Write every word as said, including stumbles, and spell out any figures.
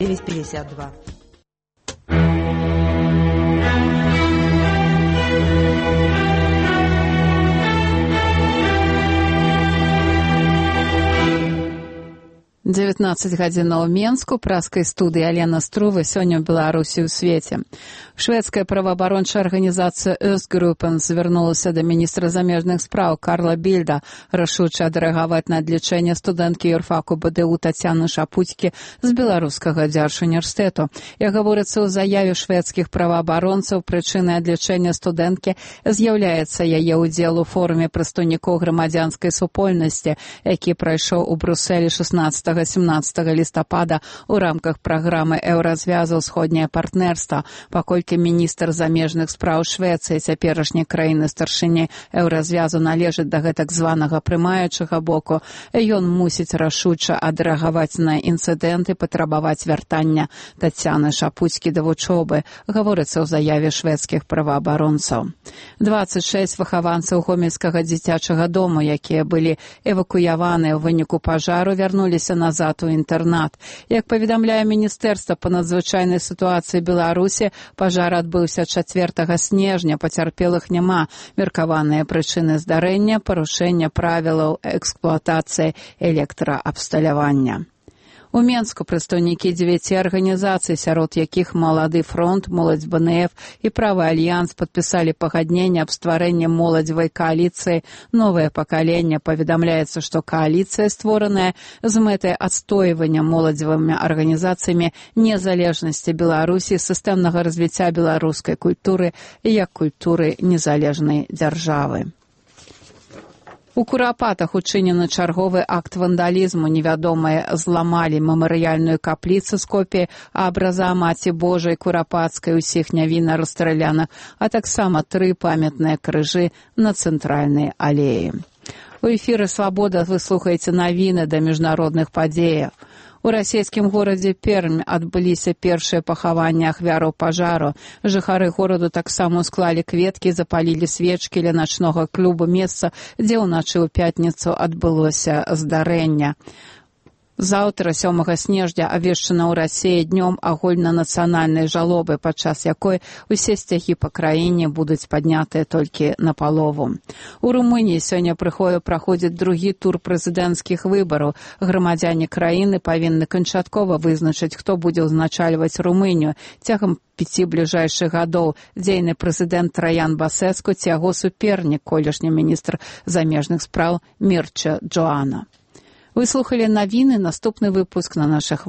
девять пятьдесят два. дзевятнаццаць гадзінаў Менску, праскай студыі Алена Струва, сёння ў Беларусі ў свеце. Шведская праваабарончая арганізацыя Östgruppen звярнулася да міністра замежных спраў Карла Більда рашуча адрэагаваць на адлічэнне студэнткі юрфаку БДУ Тацяны Шапуцькі з беларускага дзяржуніверсітэту. Як гаворыцца ў заяве шведскіх праваабаронцаў, прычынай адлічэння студэнткі з'яўляецца яе ўдзел у форуме прадстаўнікоў грамадзянскай супольнасці, які прайшоў у Брусэлі шаснаццатага-сямнаццатага лістапада ў рамках праграмы еўразвязу «Усходняе партнерства», паколькі міністр замежных спраў Швецыі, цяперашняй краіны старшыні еўразвязу, належыць да гэтак званага прымаючага боку, ён мусіць рашуча адрэагаваць на інцыдэнты, патрабаваць вяртання Тацяны Шапуцькі да вучобы, гаворыцца ў заяве шведскіх праваабаронцаў. дваццаць шэсць выхаванцаў гомельскага дзіцячага дому, якія былі эвакуяваныя ў выніку пажару, вярнуліся назад у інтэрнат. Як паведамляе Міністэрства па надзвычайнай сітуацыі Беларусі, пажар адбыўся чацвёртага снежня, пацярпелых няма. Меркаваныя прычыны здарэння – парушэння правілаў эксплуатацыі электраабсталявання. У Менску прадстаўнікі дзевяці арганізацый, сярод якіх Малады фронт, Моладзь БНФ і Правы альянс падпісалі пагадненне аб стварэнні моладзевай кааліцыі «Новае пакаленне». Паведамляецца, што кааліцыя створаная з мэтай адстойвання моладзевымі арганізацыямі незалежнасці Беларусі, сістэмнага развіцця беларускай культуры як культуры незалежнай дзяржавы. У Курапатах учынены чарговы акт вандалізму. Невядомыя зламалі мемарыяльную капліцу з копіяй абраза Маці Божай Курапацкай, усіх нявінна расстраляных, а таксама тры памятныя крыжы на цэнтральнай алеі. У эфіры «Свабода» вы слухаеце навіны да міжнародных падзеяў. У расійскім горадзе Пермь адбыліся першыя пахаванні ахвяраў пажару. Жыхары гораду таксама склалі кветкі, запалілі свечкі ля начнога клуба, месца, дзе ўначы ў пятніцу адбылося здарэнне. Заўтра, сёмага снежня, абвешчана ў Расіі днём агульнанацыянальнай жалобы, падчас якой усе сцягі па краіне будуць паднятыя толькі напалову. У Румыніі сёння праходзіць другі тур прэзідэнцкіх выбараў. Грамадзяне краіны павінны канчаткова вызначыць, хто будзе ўзначальваць Румынію. Цягам пяці бліжэйшых гадоў дзейны прэзідэнт Траян Басэску ці яго супернік, колішні міністр замежных спраў Мірча Джоана. Вы слухали навіны, наступны выпуск на наших